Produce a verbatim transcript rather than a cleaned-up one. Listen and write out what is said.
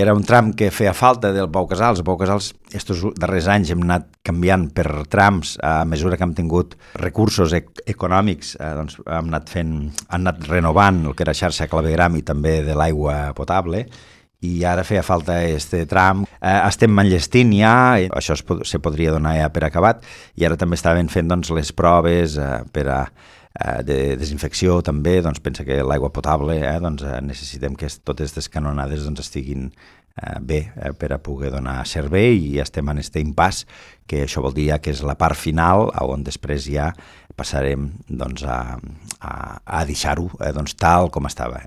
Era un tram que feia falta del Pau Casals. El Pau Casals, estos darrers anys hem anat canviant per trams a mesura que hem tingut recursos ec econòmics, eh, doncs hem anat fent, hem anat renovant el que era xarxa clavegram i també de l'aigua potable, i ara feia falta este tram. Eh, estem enllestint ja, això es, pod se podria donar ja per acabat, i ara també estaven fent doncs, les proves eh, per a eh, de desinfecció també. Doncs pensa que l'aigua potable eh, doncs, eh, necessitem que totes aquestes canonades doncs, estiguin eh, bé eh, per a poder donar servei, i estem en este impàs, que això vol dir ja que és la part final on després ja passarem doncs, a, a, a deixar-ho eh, doncs, tal com estava.